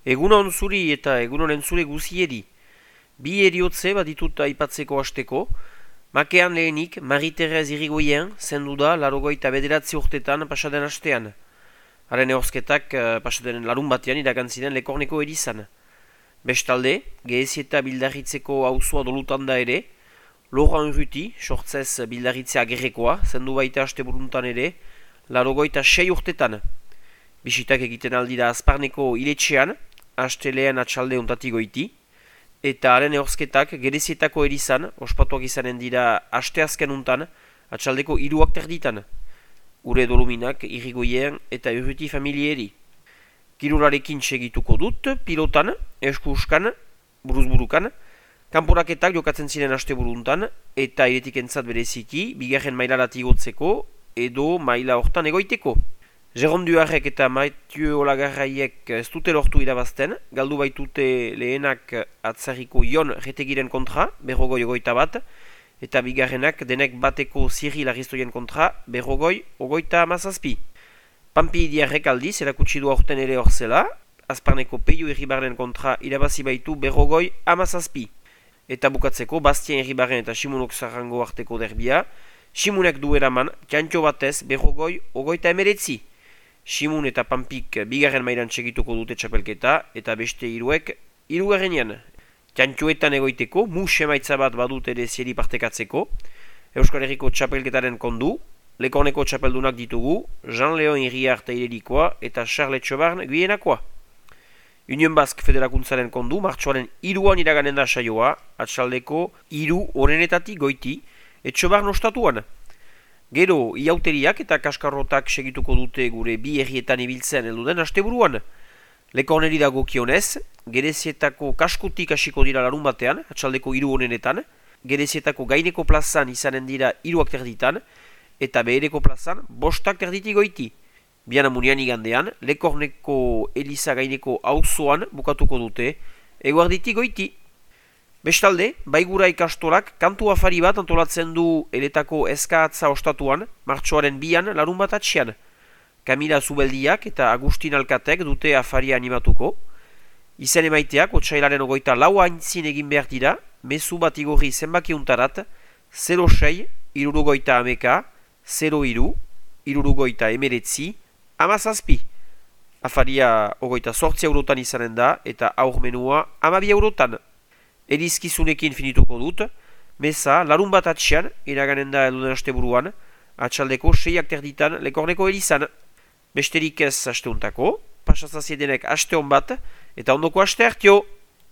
Egunon zuri eta egunon entzule guzieri. Bi eriotze baditut aipatzeko hasteko. Makean lehenik, Marie-Thérèse Irigoyen zendu da larogoita bederatzi urtetan pasaden hastean. Haren ehorzketak pasaden larun batean iragantziden Lekorneko erizan. Bestalde, Gehezieta bildarritzeko auzoa dolutan da ere, Laurent Urruti, sortzez bildarritzea agerrekoa, zendu baita haste buruntan ere, larogoita 6 urtetan. Bisitak egiten aldira Azparneko iletxean, astelean atxalde ontatik goiti, eta haren ehorzketak Gerezietako erizan, ospatuak izanen dira asteazken untan, atxaldeko 3 terditan. Ure doluminak Irigoyen eta Urruti familieri. Kirularekin segituko dut, pilotan, eskuskan, buruzburukan, kanporaketak jokatzen ziren aste buruntan, eta iretik entzat bereziki, bigarren mailarat igotzeko, edo maila hortan egoiteko. Jérôme Duarrek eta Mathieu Olagarraiek ez dute lortu irabazten, galdu baitute lehenak atzarriko Ion Retegiren kontra, 51, eta bigarrenak denek bateko Cyril Aristoien kontra, 57. Pampi Diarrek aldiz, erakutsi du aurten ere horzela, Azparneko Peio Irribarren kontra irabazi baitu 57. Eta bukatzeko, Bastien Irribarren eta Simonok Zarrango arteko derbia, Simonek du eraman, kantxo batez 59. Simun eta Pampik bigarren mailan segituko dute txapelketa, eta beste hiruek hirugarrenean. Kantxoetan egoiteko, mus emaitza bat badut ere zieri partekatzeko, Euskal Herriko txapelketaren kondu, Lekorneko txapeldunak ditugu, Jean-Léon Iriart Teirerikoa eta Charles Txobarn Guienakoa. Union Basque Federakuntzaren kondu, martxoaren 3an iraganen da saioa, atxaldeko 3 horrenetatik goiti, Etxobarn ostatuan. Gero, iauteriak eta kaskarrotak segituko dute gure bi herrietan ibiltzen elduden asteburuan. Lekorneri dago kionez, Gerezietako kaskutik hasiko dira larun batean, atxaldeko 3 honenetan, Gerezietako gaineko plazan izanen dira 3 terditan, eta behereko plazan 5 terditik goiti. Bianamunian igandean, Lekorneko Eliza gaineko auzoan bukatuko dute, eguarditik goiti. Bestalde, Baigura ikastolak kantu afari bat antolatzen du eletako eskaatza ostatuan, martxoaren 2an larun bat atxean. Kamila Zubeldiak eta Agustin Alkatek dute afaria animatuko. Izen emaiteak, otsailaren 24 aintzin egin behar dira, mezu bat igorri zenbakiuntarat, 06, 69, 03, 69, 17. Afaria 28 eurotan izanen da, eta aurmenua 12 eurotan. Erizkizunekin finituko dut, meza larun bat atxean, iraganen da elduden asteburuan, atxaldeko 6 terditan Lekorneko elizan. Besterik ez asteuntako, pasazaziedenek aste hon bat, eta ondoko aste hartio!